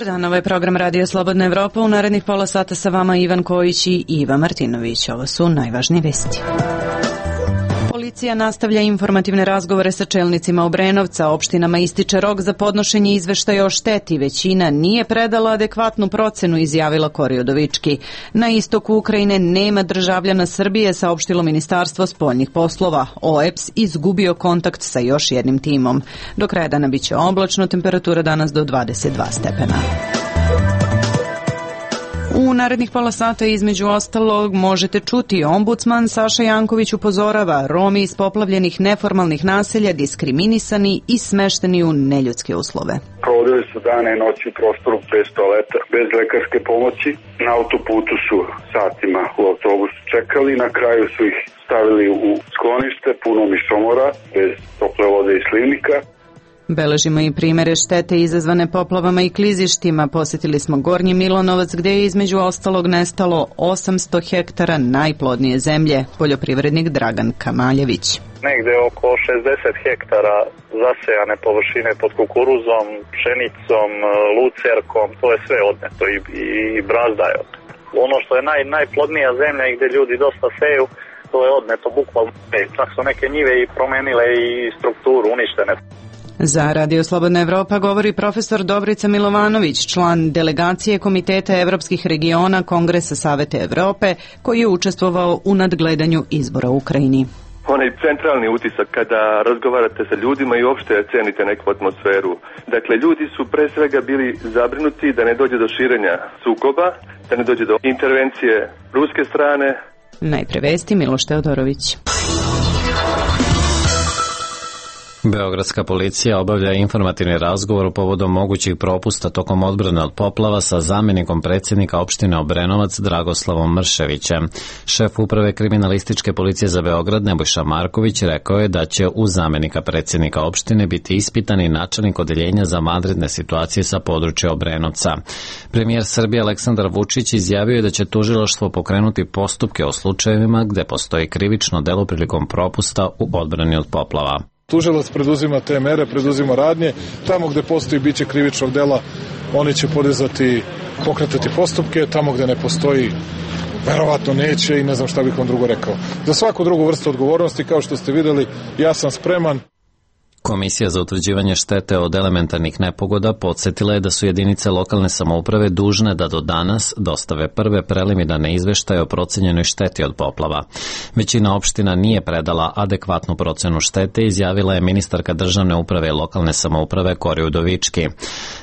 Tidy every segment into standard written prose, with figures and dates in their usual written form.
Dobar dan, ovo je program Radio Slobodna Evropa. U narednih pola sata sa vama Ivan Kojić i Iva Martinović. Ovo su najvažnije vesti. Policija nastavlja informativne razgovore sa čelnicima Obrenovca. Opštinama ističe rok za podnošenje izveštaja o šteti. Većina nije predala adekvatnu procenu, izjavila Kori Udovički. Na istoku Ukrajine nema državljana Srbije, saopštilo Ministarstvo spoljnih poslova. OEBS izgubio kontakt sa još jednim timom. Do kraja dana biće oblačno, temperatura danas do 22 stepena. U narednih pola sata između ostalog možete čuti ombudsman Saša Janković upozorava Romi iz poplavljenih neformalnih naselja diskriminisani i smešteni u neljudske uslove. Provodili su dane i noći u prostoru bez toaleta, bez lekarske pomoći. Na autoputu su satima u autobusu čekali, na kraju su ih stavili u sklonište puno mišomora, bez tople vode i slivnika. Beležimo i primere štete izazvane poplavama i klizištima. Posjetili smo Gornji Milonovac gdje je između ostalog nestalo 800 hektara najplodnije zemlje. Poljoprivrednik Dragan Kamaljević. Negde oko 60 hektara zasejane površine pod kukuruzom, pšenicom, lucerkom, to je sve odneto i brazda je odneto. Ono što je najplodnija zemlja i gdje ljudi dosta seju, to je odneto bukvalno. Čak su neke njive i promenile i strukturu, uništene. Za Radio Slobodna Evropa govori profesor Dobrica Milovanović, član delegacije Komiteta evropskih regiona Kongresa Saveta Evrope, koji je učestvovao u nadgledanju izbora u Ukrajini. Onaj centralni utisak kada razgovarate sa ljudima i uopšte cenite neku atmosferu. Dakle, ljudi su pre svega bili zabrinuti da ne dođe do širenja sukoba, da ne dođe do intervencije ruske strane. Najpre vesti, Miloš Teodorović. Beogradska policija obavlja informativni razgovor povodom mogućih propusta tokom odbrane od poplava sa zamjenikom predsjednika opštine Obrenovac Dragoslavom Mrševićem. Šef uprave kriminalističke policije za Beograd Nebojša Marković rekao je da će uz zamjenika predsjednika opštine biti ispitani načelnik odeljenja za vanredne situacije sa područja Obrenovca. Premijer Srbije Aleksandar Vučić izjavio je da će tužilaštvo pokrenuti postupke o slučajevima gde postoji krivično delo prilikom propusta u odbrani od poplava. Tužilac preduzima te mere, preduzima radnje. Tamo gde postoji biće krivičnog dela, oni će pokretati postupke. Tamo gde ne postoji, verovatno neće i ne znam šta bih vam drugo rekao. Za svaku drugu vrstu odgovornosti, kao što ste videli, ja sam spreman. Komisija za utvrđivanje štete od elementarnih nepogoda podsjetila je da su jedinice lokalne samouprave dužne da do danas dostave prve preliminarne izveštaje o procenjenoj šteti od poplava. Većina opština nije predala adekvatnu procenu štete, izjavila je ministarka državne uprave i lokalne samouprave Kori Udovički.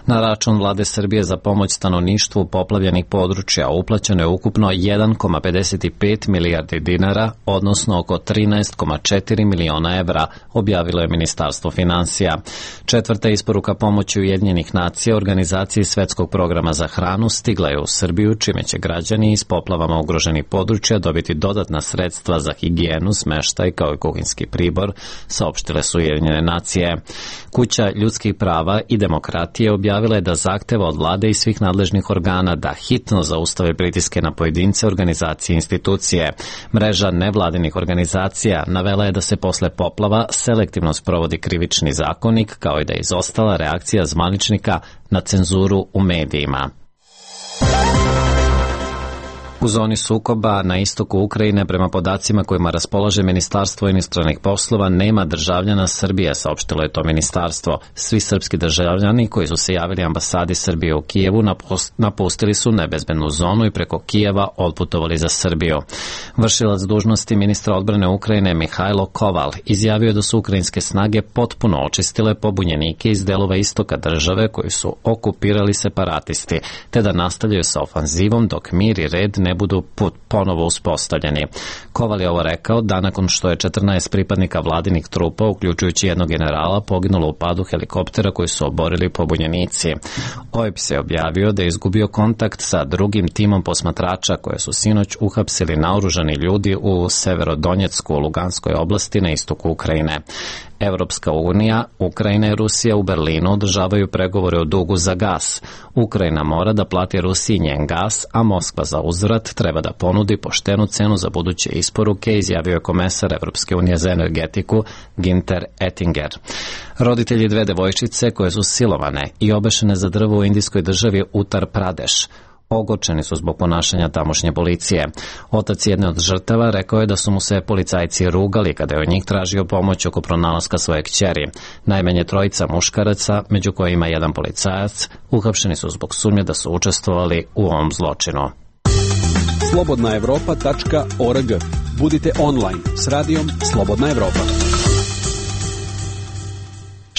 Na račun vlade Srbije za pomoć stanovništvu poplavljenih područja uplaćeno je ukupno 1,55 milijardi dinara, odnosno oko 13,4 miliona evra, objavilo je Ministarstvo finansija. Četvrta isporuka pomoći Ujedinjenih nacija organizaciji Svetskog programa za hranu stigla je u Srbiju, čime će građani iz poplavama ugroženih područja dobiti dodatna sredstva za higijenu, smeštaj kao i kuhinjski pribor, saopštile su Ujedinjene nacije. Kuća ljudskih prava i demokratije objavila je da zahteva od vlade i svih nadležnih organa da hitno zaustave pritiske na pojedince, organizacije i institucije. Mreža nevladinih organizacija navela je da se posle poplava selektivno sprovodi krivični zakonik, kao i da je izostala reakcija zvaničnika na cenzuru u medijima. U zoni sukoba na istoku Ukrajine, prema podacima kojima raspolaže Ministarstvo inostranih poslova, nema državljana Srbije, saopštilo je to ministarstvo. Svi srpski državljani koji su se javili ambasadi Srbije u Kijevu napustili su nebezbednu zonu i preko Kijeva otputovali za Srbiju. Vršilac dužnosti ministra odbrane Ukrajine Mihajlo Koval izjavio da su ukrajinske snage potpuno očistile pobunjenike iz delova istoka države koji su okupirali separatisti, te da nastavljaju sa ofanzivom dok mir i red ne budu ponovo uspostavljeni. Koval je ovo rekao da nakon što je 14 pripadnika vladinih trupa, uključujući jednog generala, poginulo u padu helikoptera koji su oborili pobunjenici. OEBS je objavio da je izgubio kontakt sa drugim timom posmatrača koje su sinoć uhapsili naoružani ljudi u Severodonjecku u Luganskoj oblasti na istoku Ukrajine. Evropska unija, Ukrajina i Rusija u Berlinu održavaju pregovore o dugu za gas. Ukrajina mora da plati Rusiji njen gas, a Moskva za uzvrat treba da ponudi poštenu cenu za buduće isporuke, izjavio je komesar Evropske unije za energetiku Günther Oettinger. Roditelji dve devojčice koje su silovane i obešene za drvo u indijskoj državi Uttar Pradeš ogorčeni su zbog ponašanja tamošnje policije. Otac jedne od žrtava rekao je da su mu se policajci rugali kada je od njih tražio pomoć oko pronalaska svoje kćeri. Najmanje trojica muškaraca, među kojima jedan policajac, uhapšeni su zbog sumnje da su učestvovali u ovom zločinu. slobodnaevropa.org. Budite online s radijom Slobodna Evropa.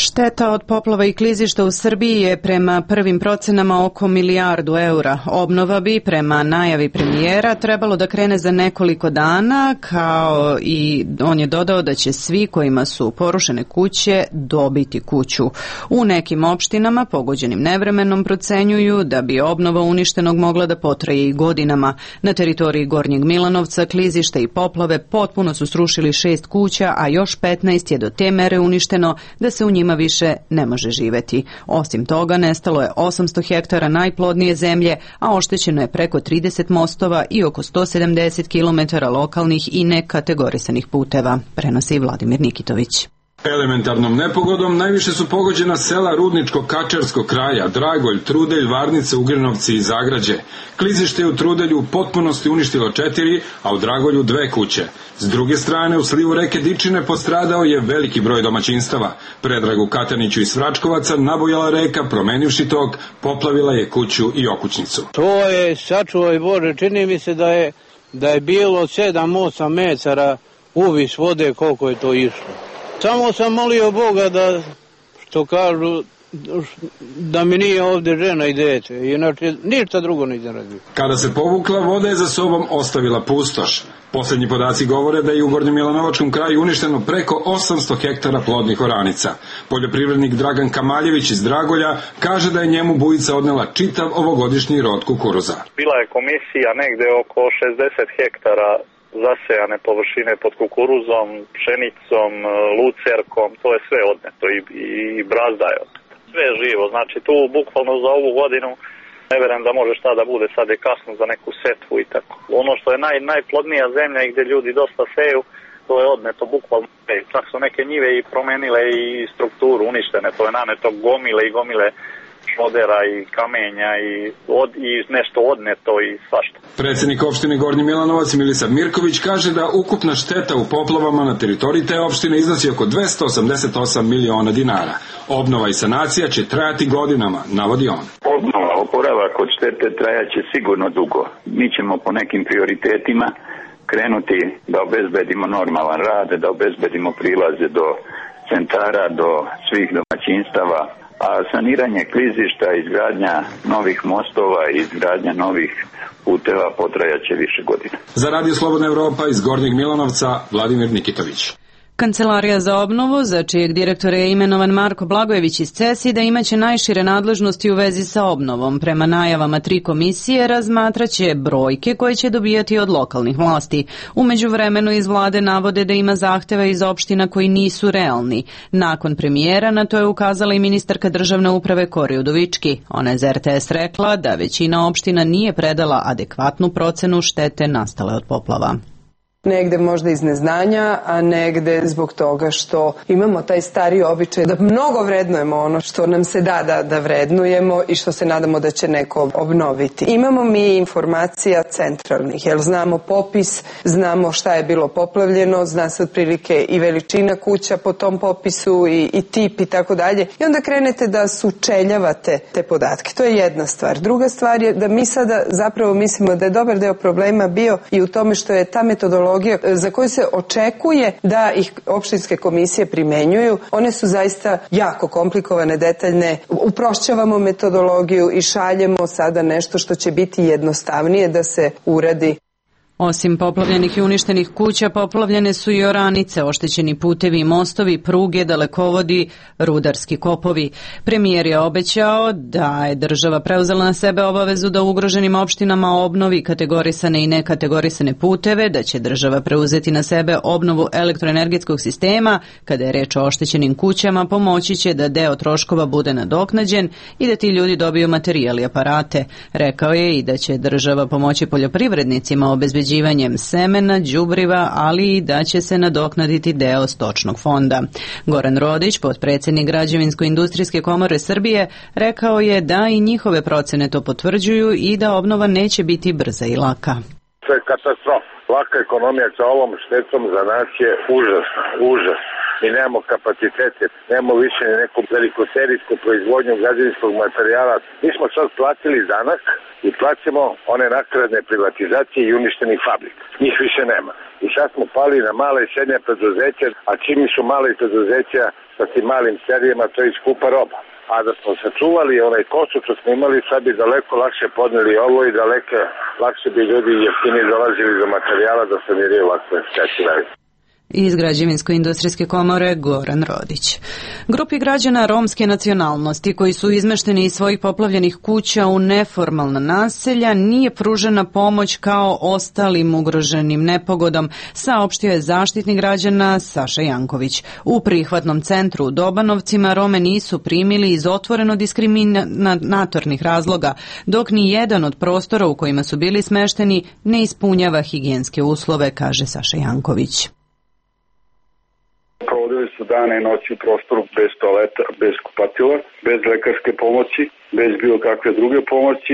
Šteta od poplava i klizišta u Srbiji je prema prvim procenama oko milijardu eura. Obnova bi, prema najavi premijera, trebalo da krene za nekoliko dana, kao i on je dodao da će svi kojima su porušene kuće dobiti kuću. U nekim opštinama, pogođenim nevremenom, procenjuju da bi obnova uništenog mogla da potraje i godinama. Na teritoriji Gornjeg Milanovca klizišta i poplave potpuno su srušili 6 kuća, a još 15 je do te mere uništeno da se u njima više ne može živeti. Osim toga, nestalo je 800 hektara najplodnije zemlje, a oštećeno je preko 30 mostova i oko 170 km lokalnih i nekategorisanih puteva, prenosi Vladimir Nikitović. Elementarnom nepogodom najviše su pogođena sela Rudničko-Kačarskog kraja, Dragolj, Trudelj, Varnica, Ugrinovci i Zagrađe. Klizište je u Trudelju u potpunosti uništilo 4, a u Dragolju 2 kuće. S druge strane, u slivu reke Dičine postradao je veliki broj domaćinstava. Predragu Kataniću iz Svračkovaca nabujala reka, promenivši tok, poplavila je kuću i okućnicu. To je, sačuvaj Bože, čini mi se da je bilo 7-8 metara uvis vode koliko je to išlo. Samo sam molio Boga da, što kažu, da mi nije ovdje žena i dete, inače ništa drugo nisam radio. Kada se povukla, voda je za sobom ostavila pustoš. Posljednji podaci govore da je u Gornjem Milanovačkom kraju uništeno preko 800 hektara plodnih oranica. Poljoprivrednik Dragan Kamaljević iz Dragolja kaže da je njemu bujica odnela čitav ovogodišnji rod kukuruza. Bila je komisija negde oko 60 hektara zasejane površine pod kukuruzom, pšenicom, lucerkom, to je sve odneto i brazda je odneto. Sve je živo, znači tu bukvalno za ovu godinu ne verujem da može šta da bude, sad je kasno za neku setvu i tako. Ono što je najplodnija zemlja i gdje ljudi dosta seju, to je odneto bukvalno. Čak su neke njive i promenile i strukturu, uništene, to je naneto gomile i gomile šodera i kamenja i nešto odneto i svašta. Predsjednik opštine Gornji Milanovac Milisav Mirković kaže da ukupna šteta u poplavama na teritoriji te opštine iznosi oko 288 miliona dinara. Obnova i sanacija će trajati godinama, navodi on. Obnova, oporavak od štete trajaće sigurno dugo. Mi ćemo po nekim prioritetima krenuti da obezbedimo normalan rad, da obezbedimo prilaze do centara, do svih domaćinstava, a saniranje klizišta, izgradnja novih mostova i izgradnja novih puteva potrajaće više godina. Za Radio Slobodna Evropa iz Gornjeg Milanovca, Vladimir Nikitović. Kancelarija za obnovu, za čijeg direktora je imenovan Marko Blagojević iz CESID-a, imaće najšire nadležnosti u vezi sa obnovom. Prema najavama 3 komisije razmatraće brojke koje će dobijati od lokalnih vlasti. U međuvremenu iz vlade navode da ima zahteva iz opština koji nisu realni. Nakon premijera na to je ukazala i ministarka državne uprave Kori Udovički. Ona je za RTS rekla da većina opština nije predala adekvatnu procenu štete nastale od poplava. Negde možda iz neznanja, a negde zbog toga što imamo taj stari običaj da mnogo vrednujemo ono što nam se da vrednujemo i što se nadamo da će neko obnoviti. Imamo mi informacija centralnih, jer znamo popis, znamo šta je bilo poplavljeno, zna se otprilike i veličina kuća po tom popisu i tip i tako dalje. I onda krenete da sučeljavate te podatke. To je jedna stvar. Druga stvar je da mi sada zapravo mislimo da je dobar deo problema bio i u tome što je ta metodologija za koju se očekuje da ih opštinske komisije primenjuju, one su zaista jako komplikovane, detaljne. Uprošćavamo metodologiju i šaljemo sada nešto što će biti jednostavnije da se uradi. Osim poplavljenih i uništenih kuća, poplavljene su i oranice, oštećeni putevi i mostovi, pruge, dalekovodi, rudarski kopovi. Premijer je obećao da je država preuzela na sebe obavezu da ugroženim opštinama obnovi kategorisane i nekategorisane puteve, da će država preuzeti na sebe obnovu elektroenergetskog sistema, kada je reč o oštećenim kućama, pomoći će da deo troškova bude nadoknađen i da ti ljudi dobiju materijal i aparate. Rekao je i da će država pomoći poljoprivrednicima obezbeđivanjem semena, đubriva, ali i da će se nadoknaditi deo stočnog fonda. Goran Rodić, potpredsjednik Građevinsko-industrijske komore Srbije, rekao je da i njihove procene to potvrđuju i da obnova neće biti brza i laka. To je katastrofa. Laka ekonomija sa ovom štetom za nas je užas. Mi nemamo kapacitete, nemamo više neku velikoserijsku proizvodnju građevinskog materijala. Mi smo sad platili danak i plaćamo one nakradne privatizacije i uništenih fabrika. Njih više nema. I sad smo pali na male i srednje preduzeća, a čim su male preduzeća sa tim malim serijama, to je skupa roba. A da smo sačuvali onaj kosu što smo imali, sad bi daleko lakše podneli ovo i daleko lakše bi ljudi jeftinije dolazili do materijala da saniraju ovakve štete. Iz Građevinsko-industrijske komore Goran Rodić. Grupi građana romske nacionalnosti koji su izmešteni iz svojih poplavljenih kuća u neformalna naselja nije pružena pomoć kao ostalim ugroženim nepogodom, saopštio je Zaštitnik građana Saša Janković. U prihvatnom centru u Dobanovcima Rome nisu primili iz otvoreno diskriminatornih razloga, dok ni jedan od prostora u kojima su bili smešteni ne ispunjava higijenske uslove, kaže Saša Janković. Provodili su dane i noći u prostoru bez toaleta, bez kupatila, bez lekarske pomoći, bez bilo kakve druge pomoći.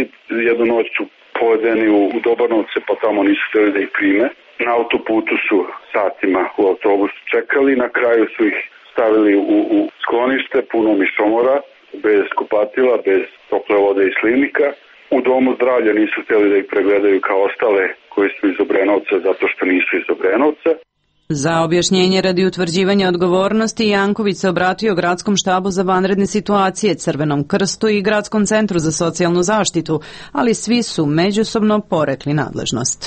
Jednu noć su povedeni u Dobanovce, pa tamo nisu htjeli da ih prime. Na autoputu su satima u autobusu čekali, na kraju su ih stavili u sklonište puno mišomora, bez kupatila, bez tople vode i slivnika. U domu zdravlja nisu htjeli da ih pregledaju kao ostale koji su iz Obrenovca zato što nisu iz Obrenovca. Za objašnjenje radi utvrđivanja odgovornosti Janković se obratio Gradskom štabu za vanredne situacije, Crvenom krstu i Gradskom centru za socijalnu zaštitu, ali svi su međusobno porekli nadležnost.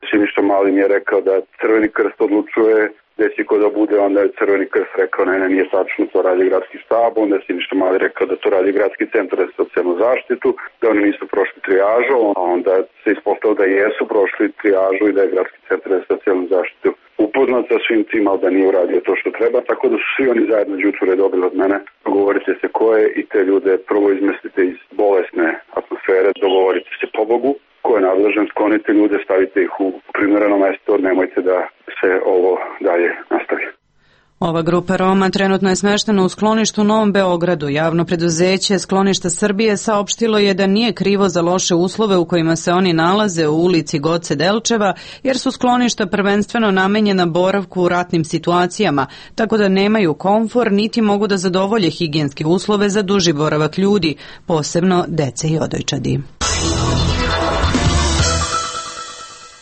Siniša Mali mi je rekao da Crveni krst odlučuje gde će ko da bude, onda je Crveni krst rekao ne, nije tačno, to radi Gradski štab, onda je Siniša Mali rekao da to radi Gradski centar za socijalnu zaštitu, da oni nisu prošli trijažu, a onda se ispostavilo da jesu prošli trijažu i da je Gradski centar za socijalnu zaštitu upoznat sa svim tim, ali da nije uradio to što treba, tako da su svi oni zajedno đuture dobili od mene. Dogovorite se ko je i te ljude prvo izmestite iz bolesne atmosfere, dogovorite se pobogu, ko je nadležan, sklonite ljude, stavite ih u primjereno mesto, nemojte da se ovo dalje nastavi. Ova grupa Roma trenutno je smeštena u skloništu u Novom Beogradu. Javno preduzeće Skloništa Srbije saopštilo je da nije krivo za loše uslove u kojima se oni nalaze u ulici Goce Delčeva, jer su skloništa prvenstveno namenjena boravku u ratnim situacijama, tako da nemaju komfor niti mogu da zadovolje higijenske uslove za duži boravak ljudi, posebno dece i odojčadi.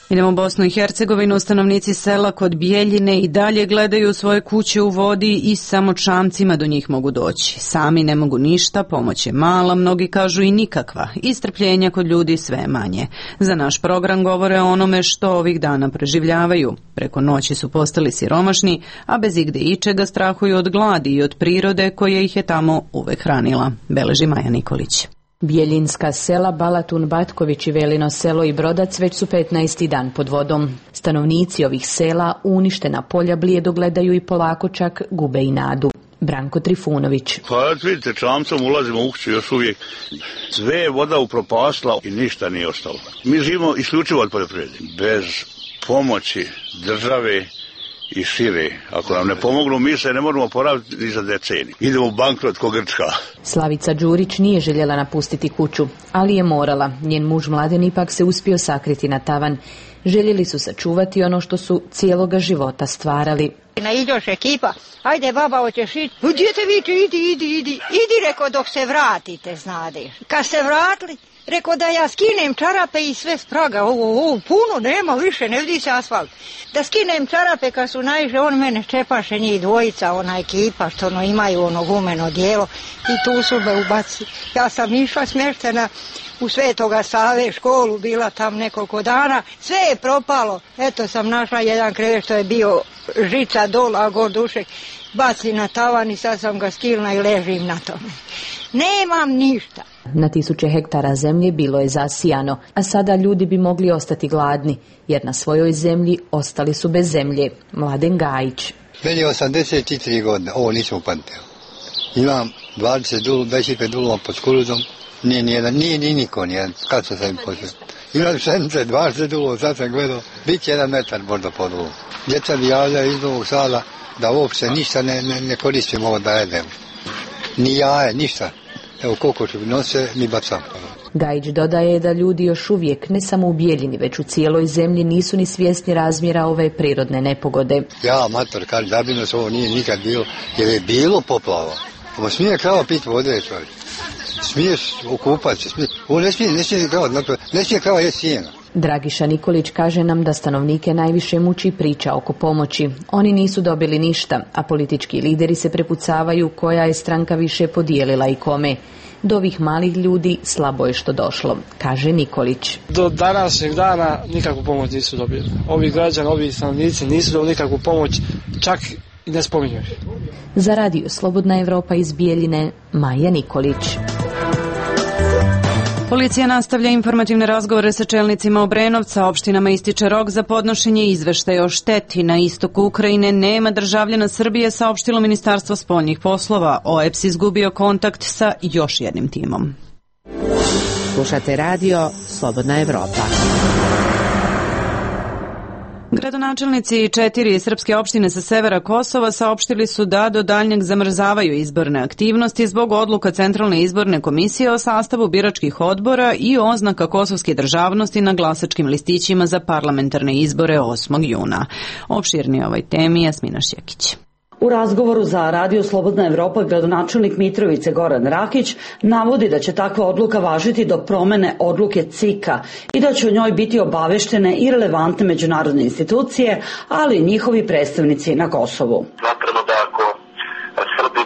Idemo u Bosnu i Hercegovinu. Stanovnici sela kod Bijeljine i dalje gledaju svoje kuće u vodi i samo čamcima do njih mogu doći. Sami ne mogu ništa, pomoć je mala, mnogi kažu i nikakva. I strpljenja kod ljudi sve manje. Za naš program govore o onome što ovih dana preživljavaju. Preko noći su postali siromašni, a bez igde ičega strahuju od gladi i od prirode koja ih je tamo uvek hranila. Beleži Maja Nikolić. Bijeljinska sela Balatun, Batković i Velino selo i Brodac već su 15. dan pod vodom. Stanovnici ovih sela uništena polja blijedo gledaju i polako čak gube i nadu. Branko Trifunović. Pa vidite, čamcom ulazimo u kuću još uvijek. Sve je voda upropasla i ništa nije ostalo. Mi živimo isključivo od poljoprivrede. Bez pomoći države i šire. Ako nam ne pomognu, mi se ne možemo poraviti ni za deceniju. Idemo u bankrot ko Grčka. Slavica Đurić nije željela napustiti kuću, ali je morala. Njen muž Mladen ipak se uspio sakriti na tavan. Željeli su sačuvati ono što su cijeloga života stvarali. Naiđoš ekipa, ajde baba, hoćeš ići? Djete viče, idi, reko dok se vratite, znadeš. Kad se vratili, reko da ja skinem čarape i sve spraga, ovo puno nema više, ne vidi se asfalt. Da skinem čarape kad su naišli, on mene čepaše njih dvojica, ona ekipa što imaju ono gumeno dijelo i tu su me ubaci. Ja sam išla smještena u Svetoga Save školu, bila tam nekoliko dana, sve je propalo. Eto sam našla jedan krevet što je bio žica dol, a gor dušek baci na tavan i sad sam ga skilna i ležim na tome. Nemam ništa. Na tisuće hektara zemlje bilo je zasijano, a sada ljudi bi mogli ostati gladni, jer na svojoj zemlji ostali su bez zemlje. Mladen Gajić. Meni je 83 godine, ovo nisam upamtio. Imam 25 dulova pod kukuruzom, nije niko nijedan, kad sam im počeo. Imam pšenice, 20 dulova, sad sam gledao, bit će 1 metar možda pod dulom. Djeca mi javljaju iz Novog Sada da uopšte ništa ne koristimo ovo da jedemo. Ni jaje, ništa. Evo kokoši nose, mi bacamo. Gajić dodaje da ljudi još uvijek, ne samo u Bijeljini, već u cijeloj zemlji, nisu ni svjesni razmjera ove prirodne nepogode. Ja, mator, kažem, zabrinutost ovo nije nikad bilo, jer je bilo poplava. Ovo smije krava piti vode, čovjek. Smiješ okupati se, ovo ne smije krava jesti sjena. Dragiša Nikolić kaže nam da stanovnike najviše muči priča oko pomoći. Oni nisu dobili ništa, a politički lideri se prepucavaju koja je stranka više podijelila i kome. Do ovih malih ljudi slabo je što došlo, kaže Nikolić. Do današnjeg dana nikakvu pomoć nisu dobili. Ovi građani, ovi stanovnici nisu dobili nikakvu pomoć, čak i ne spominju. Za radio Slobodna Evropa iz Bijeljine, Maja Nikolić. Policija nastavlja informativne razgovore sa čelnicima Obrenovca. Opštinama ističe rok za podnošenje izveštaja o šteti. Na istoku Ukrajine nema državljana Srbije, saopštilo Ministarstvo spoljnih poslova. OEPS izgubio kontakt sa još jednim timom. Slušate radio Slobodna Evropa. Gradonačelnici 4 srpske opštine sa severa Kosova saopštili su da do daljnjeg zamrzavaju izborne aktivnosti zbog odluka Centralne izborne komisije o sastavu biračkih odbora i oznaka kosovske državnosti na glasačkim listićima za parlamentarne izbore 8. juna. Opširnije ovoj temi Jasmina Šjekić. U razgovoru za Radio Slobodna Evropa gradonačelnik Mitrovice Goran Rakić navodi da će takva odluka važiti do promene odluke CIK-a i da će o njoj biti obaveštene i relevantne međunarodne institucije, ali i njihovi predstavnici na Kosovu. Smatramo da ako Srbi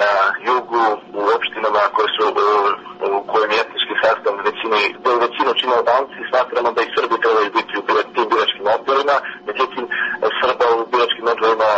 na jugu u opštinama koje su u kojem je etnički sastav većinu čine Albanci, smatramo da i Srbi trebaju biti u tim biračkim odborima, međutim Srba u biračkim odborima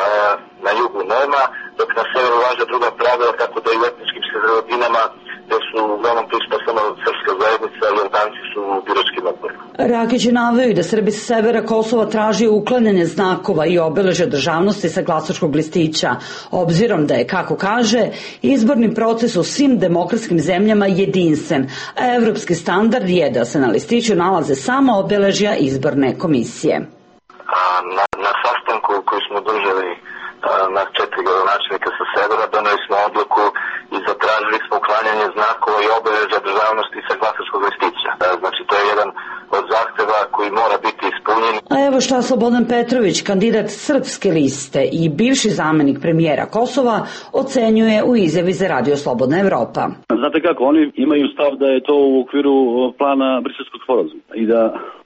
na jugu nema, dok na severu važe druga pravila, tako da i u etničkim sredinama gde su uglavnom prisutna samo srpska zajednica i Albanci su u biračkim odborima. Rakić je naveo da Srbi sa severa Kosova traži uklanjanje znakova i obeležja državnosti sa glasačkog listića, obzirom da je, kako kaže, izborni proces u svim demokratskim zemljama jedinstven, a evropski standard je da se na listiću nalaze samo obeležja izborne komisije. Na sastanku koji smo držali na 4 gradonačelnika sa severa doneli smo odluku i zatražili smo uklanjanje znakova i obeležja državnosti sa glasačkog listića. Znači to je jedan od zahteva koji mora biti ispunjen. A evo šta Slobodan Petrović, kandidat Srpske liste i bivši zamenik premijera Kosova, ocenjuje u izjavi za Radio Slobodna Evropa. Znate kako, oni imaju stav da je to u okviru plana Briselskog sporazuma i da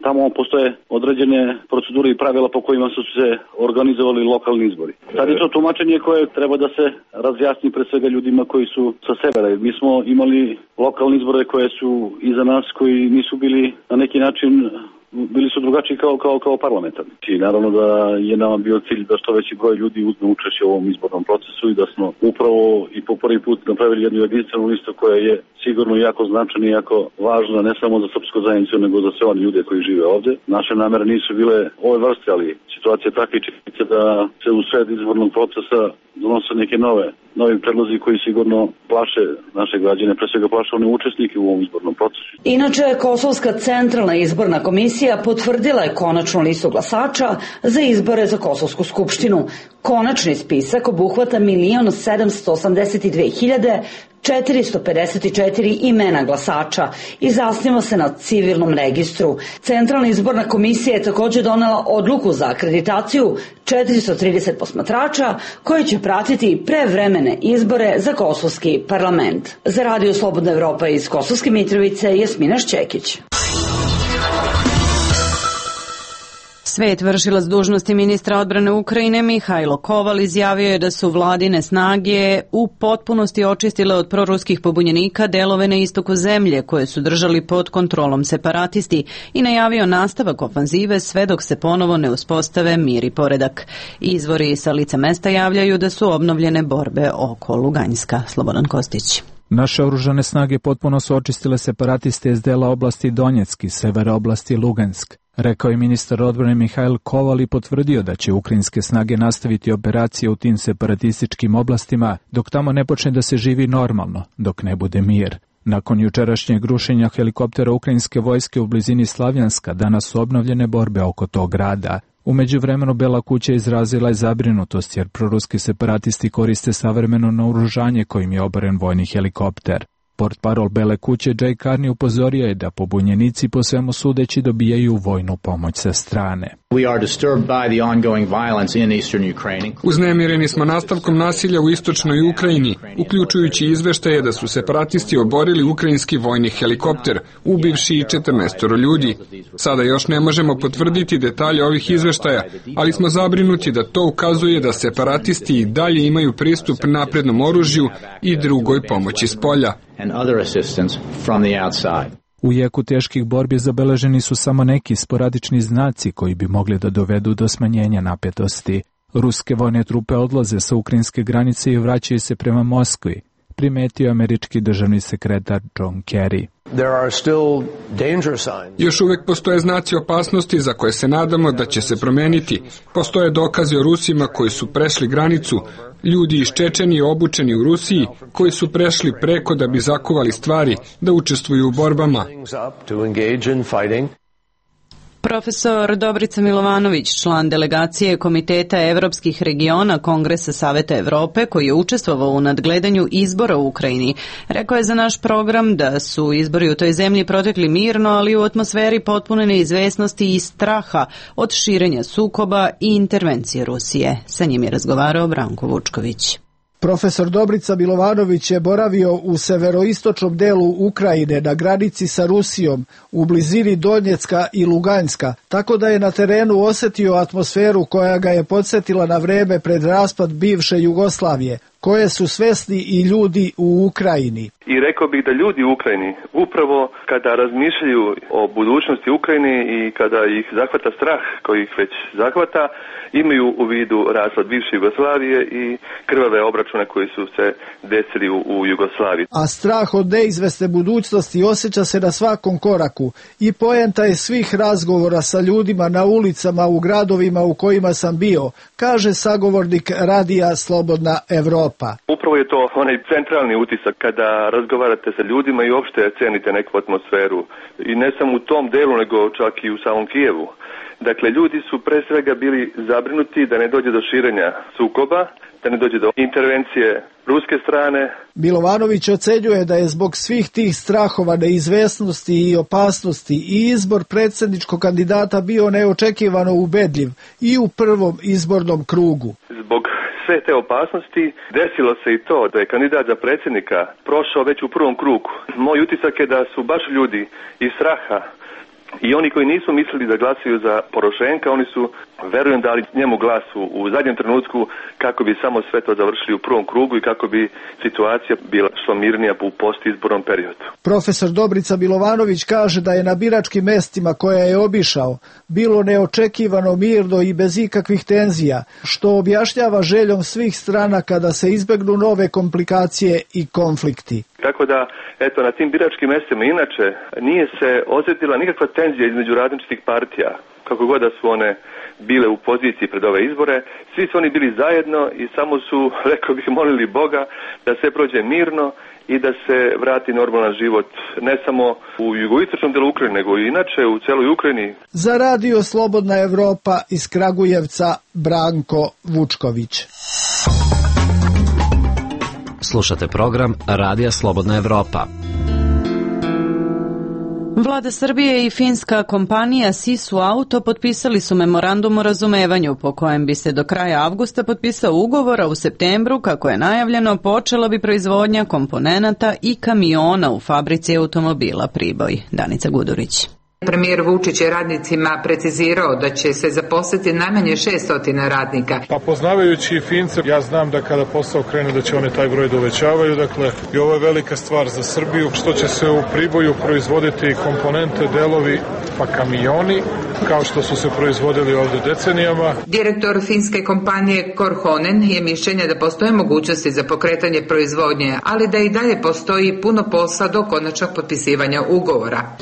tamo postoje određene procedure i pravila po kojima su se organizovali lokalni izbori. Sad je to tumačenje koje treba da se razjasni pre svega ljudima koji su sa severa. Mi smo imali lokalne izbore koje su iza nas, koji nisu bili na neki način, bili su drugačiji kao parlamentarni. I naravno da je nama bio cilj da što veći broj ljudi uzme učešće u ovom izbornom procesu i da smo upravo i po prvi put napravili jednu jedinstvenu listu koja je sigurno jako značajna i jako važna ne samo za srpsku zajednicu nego za sve one ljude koji žive ovdje. Naše namere nisu bile ove vrste, ali situacija je takva i činjenica da se u sred izbornog procesa donose neke novi predlozi koji sigurno plaše naše građane, pre svega plaše one učesnike u ovom izbornom procesu. Inače, Kosovska centralna izborna komisija potvrdila je konačnu listu glasača za izbore za Kosovsku skupštinu. Konačni spisak obuhvata 1.782.454 imena glasača i zasniva se na civilnom registru. Centralna izborna komisija je također donela odluku za akreditaciju 430 posmatrača koji će pratiti prevremene izbore za Kosovski parlament. Za Radio Slobodna Evropa iz Kosovske Mitrovice, Jasmina Šćekić. Svet vršilac dužnosti ministra odbrane Ukrajine Mihajlo Koval izjavio je da su vladine snage u potpunosti očistile od proruskih pobunjenika delove na istoku zemlje koje su držali pod kontrolom separatisti i najavio nastavak ofanzive sve dok se ponovo ne uspostave mir i poredak. Izvori sa lica mesta javljaju da su obnovljene borbe oko Luganjska. Slobodan Kostić. Naše oružane snage potpuno su očistile separatiste iz dela oblasti Donjeck i severa oblasti Lugansk, rekao je ministar odbrane Mihajl Koval i potvrdio da će ukrajinske snage nastaviti operacije u tim separatističkim oblastima dok tamo ne počne da se živi normalno, dok ne bude mir. Nakon jučerašnjeg rušenja helikoptera ukrajinske vojske u blizini Slavjanska, danas su obnovljene borbe oko tog grada. U međuvremenu Bela kuća izrazila je zabrinutost jer proruski separatisti koriste savremeno naoružanje kojim je oboren vojni helikopter. Portparol Bele kuće Jay Carney upozorio je da pobunjenici po svemu sudeći dobijaju vojnu pomoć sa strane. Uznemireni smo nastavkom nasilja u istočnoj Ukrajini, uključujući izveštaje da su separatisti oborili ukrajinski vojni helikopter, ubivši i 14 ljudi. Sada još ne možemo potvrditi detalje ovih izveštaja, ali smo zabrinuti da to ukazuje da separatisti i dalje imaju pristup naprednom oružju i drugoj pomoći s polja. U jeku teških borbi zabeleženi su samo neki sporadični znaci koji bi mogli da dovedu do smanjenja napetosti. Ruske vojne trupe odlaze sa ukrajinske granice i vraćaju se prema Moskvi, primetio američki državni sekretar John Kerry. Još uvijek postoje znaci opasnosti za koje se nadamo da će se promeniti. Postoje dokazi o Rusima koji su prešli granicu, ljudi iz Čečenije obučeni u Rusiji koji su prešli preko da bi zakuvali stvari, da učestvuju u borbama. Profesor Dobrica Milovanović, član delegacije Komiteta evropskih regiona Kongresa Saveta Evrope, koji je učestvovao u nadgledanju izbora u Ukrajini, rekao je za naš program da su izbori u toj zemlji protekli mirno, ali u atmosferi potpune neizvesnosti i straha od širenja sukoba i intervencije Rusije. Sa njim je razgovarao Branko Vučković. Profesor Dobrica Milovanović je boravio u severoistočnom delu Ukrajine na granici sa Rusijom u blizini Donjecka i Luganjska, tako da je na terenu osjetio atmosferu koja ga je podsjetila na vreme pred raspad bivše Jugoslavije, koje su svesni i ljudi u Ukrajini. I rekao bih da ljudi u Ukrajini upravo kada razmišljaju o budućnosti Ukrajine i kada ih zahvata strah koji ih već zahvata, imaju u vidu raspad bivše Jugoslavije i krvave obračune koji su se desili u Jugoslaviji. A strah od neizvesne budućnosti osjeća se na svakom koraku i poenta je svih razgovora sa ljudima na ulicama u gradovima u kojima sam bio, kaže sagovornik radija Slobodna Evropa. Upravo je to onaj centralni utisak kada razgovarate sa ljudima i uopšte cenite neku atmosferu. I ne samo u tom delu, nego čak i u samom Kijevu. Dakle, ljudi su pre svega bili zabrinuti da ne dođe do širenja sukoba, da ne dođe do intervencije ruske strane. Milovanović ocenjuje da je zbog svih tih strahova, neizvesnosti i opasnosti i izbor predsjedničkog kandidata bio neočekivano ubedljiv i u prvom izbornom krugu. Zbog sve te opasnosti desilo se i to da je kandidat za predsjednika prošao već u prvom krugu. Moj utisak je da su baš ljudi iz straha i oni koji nisu mislili da glasuju za Porošenka, oni su, verujem, dali njemu glas u zadnjem trenutku kako bi samo sve to završili u prvom krugu i kako bi situacija bila što mirnija u postizbornom periodu. Profesor Dobrica Milovanović kaže da je na biračkim mestima koja je obišao bilo neočekivano mirno i bez ikakvih tenzija, što objašnjava željom svih stranaka da se izbegnu nove komplikacije i konflikti. Tako da, eto, na tim biračkim mestima inače nije se osjetila nikakva tenzija između različitih partija, kako god da su one bile u poziciji pred ove izbore. Svi su oni bili zajedno i samo su, rekao bih, molili Boga da sve prođe mirno i da se vrati normalan život, ne samo u jugoistočnom delu Ukrajine, nego i inače u celoj Ukrajini. Za radio Slobodna Evropa iz Kragujevca, Branko Vučković. Slušate program Radija Slobodna Evropa. Vlada Srbije i finska kompanija Sisu Auto potpisali su memorandum o razumevanju po kojem bi se do kraja avgusta potpisao ugovor, a u septembru, kako je najavljeno, počela bi proizvodnja komponenata i kamiona u fabrici automobila Priboj. Danica Gudurić. Premijer Vučić je radnicima precizirao da će se zaposliti najmanje 600 radnika. Pa poznavajući Fince, ja znam da kada posao krene da će one taj broj uvećavaju, dakle i ovo je velika stvar za Srbiju, što će se u Priboju proizvoditi komponente, delovi, pa kamioni, kao što su se proizvodili ovde decenijama. Direktor finske kompanije Korhonen je mišljenja da postoje mogućnosti za pokretanje proizvodnje, ali da i dalje postoji puno posla do konačnog potpisivanja ugovora.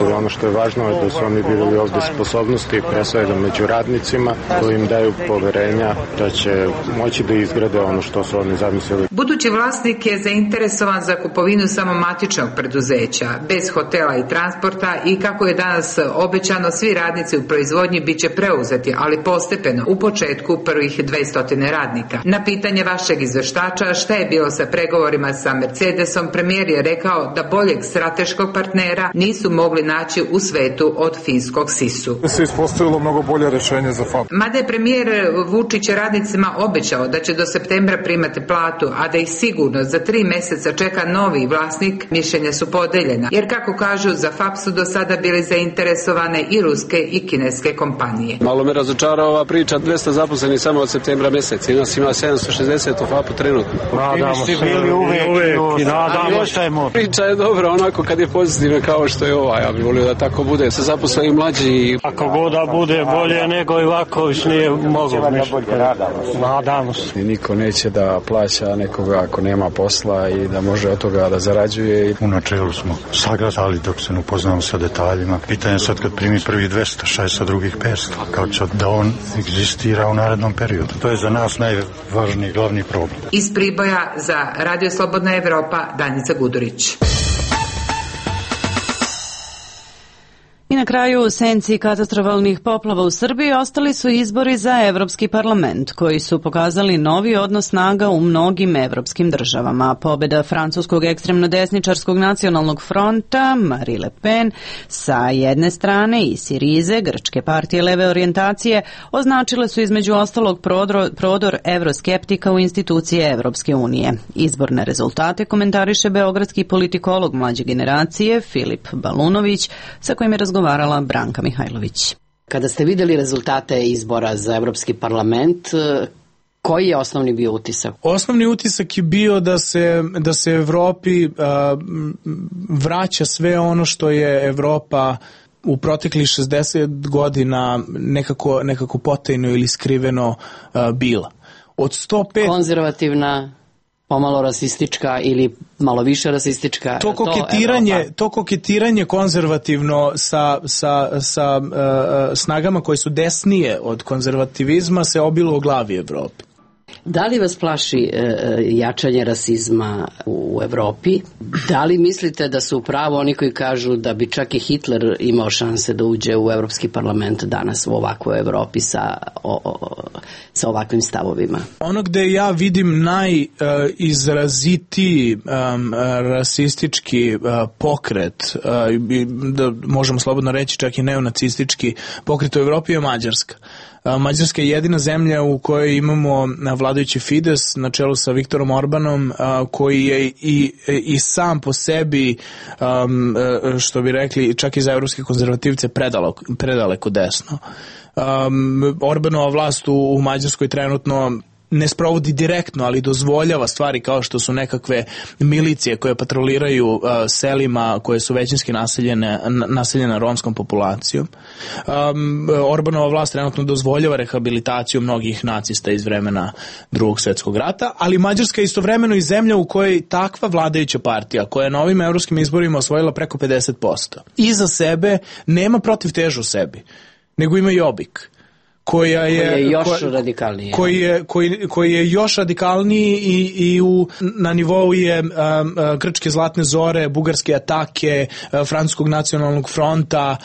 Ono što je važno je da su oni videli ovde sposobnosti, pre svega među radnicima, koji im daju poverenja da će moći da izgrade ono što su oni zamislili. Budući vlasnik je zainteresovan za kupovinu samo matičnog preduzeća, bez hotela i transporta, i kako je danas obećano, svi radnici u proizvodnji biće preuzeti, ali postepeno, u početku prvih 200 radnika. Na pitanje vašeg izveštača šta je bilo sa pregovorima sa Mercedesom, premijer je rekao da boljeg strateškog partnera nisu mogli naći u svetu od finskog Sisu. Se ispostavilo mnogo bolje rešenje za FAP. Mada je premijer Vučić radnicima obećao da će do septembra primati platu, a da ih sigurno za 3 meseca čeka novi vlasnik, mišljenja su podeljena, jer kako kažu, za FAP su do sada bili zainteresovane i ruske i kineske kompanije. Malo me razočara ova priča, 200 zaposlenih samo od septembra meseca, i nas ima 760 u FAP-u trenutno. Nadamo se, uvek i nadamo se. Priča je dobra onako kad je pozitivna kao što je ova, ja bih volio da tako bude, se zaposle i mlađi. Ako god da bude bolje nego Ivaković nije mogo. Nadamo se. I niko neće da plaća nekoga ako nema posla i da može od toga da zarađuje. U načelu smo sagledali dok se ne upoznamo sa detaljima. Pitanje sad kad primi prvi 200, šta je sa drugih 500? Kao će da on egzistira u narednom periodu? To je za nas najvažniji glavni problem. Iz Priboja za Radio Slobodna Evropa, Danica Gudurić. I na kraju, u senci katastrofalnih poplava u Srbiji ostali su izbori za Evropski parlament, koji su pokazali novi odnos snaga u mnogim evropskim državama. Pobjeda francuskog ekstremno desničarskog nacionalnog fronta, Marie Le Pen, sa jedne strane i Sirize, grčke partije leve orijentacije, označile su između ostalog prodor evroskeptika u institucije Evropske unije. Izborne rezultate komentariše beogradski politikolog mlađe generacije Filip Balunović, sa kojim je razgovarala Branka Mihajlović. Kada ste vidjeli rezultate izbora za Evropski parlament, koji je osnovni bio utisak? Osnovni utisak je bio da se Evropi vraća sve ono što je Evropa u proteklih 60 godina nekako potajno ili skriveno bila. Od 105... Konzervativna, pomalo rasistička ili malo više rasistička. To koketiranje konzervativno sa snagama koje su desnije od konzervativizma se obilo u glavi Evropi. Da li vas plaši jačanje rasizma u Evropi? Da li mislite da su upravo oni koji kažu da bi čak i Hitler imao šanse da uđe u Evropski parlament danas u ovakvoj Evropi sa ovakvim stavovima? Ono gde ja vidim najizrazitiji rasistički pokret, da možemo slobodno reći čak i neonacistički pokret u Evropi, je Mađarska. Mađarska je jedina zemlja u kojoj imamo vladajući Fides na čelu sa Viktorom Orbanom, koji je i sam po sebi, što bi rekli, čak i za evropske konzervativce predaleko desno. Orbanova vlast u Mađarskoj trenutno ne sprovodi direktno, ali dozvoljava stvari kao što su nekakve milicije koje patroliraju selima koje su većinski naseljene romskom populacijom. Orbanova vlast trenutno dozvoljava rehabilitaciju mnogih nacista iz vremena Drugog svjetskog rata, ali Mađarska je istovremeno i zemlja u kojoj takva vladajuća partija, koja je na ovim evropskim izborima osvojila preko 50%, iza sebe nema protivtežu u sebi, nego ima Jobbik, koji je još radikalniji i na nivou je grčke zlatne zore, bugarske atake, francuskog nacionalnog fronta,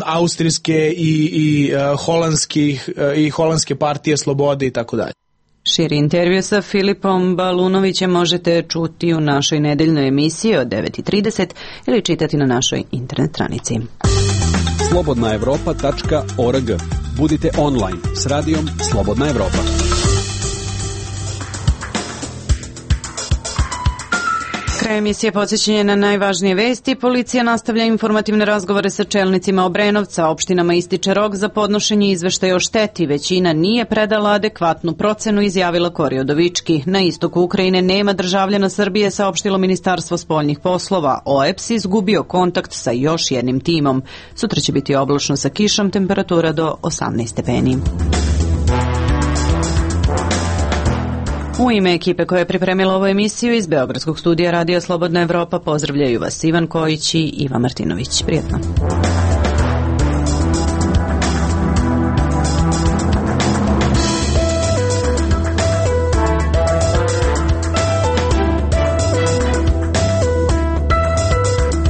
austrijske i holandske partije slobode i tako dalje. Širi intervju sa Filipom Balunovićem možete čuti u našoj nedeljnoj emisiji od 9:30 ili čitati na našoj internet stranici. slobodnaevropa.org. Budite online s radijom Slobodna Evropa. Kraj emisije podsjećanje na najvažnije vesti. Policija nastavlja informativne razgovore sa čelnicima Obrenovca. Opštinama ističe rok za podnošenje izveštaja o šteti. Većina nije predala adekvatnu procenu, izjavila Kori Udovički. Na istoku Ukrajine nema državljana Srbije, saopštilo Ministarstvo spoljnih poslova. OEPS izgubio kontakt sa još jednim timom. Sutra će biti oblačno sa kišom, temperatura do 18 stepeni. U ime ekipe koja je pripremila ovu emisiju iz Beogradskog studija Radio Slobodna Evropa pozdravljaju vas Ivan Kojić i Iva Martinović. Prijetno.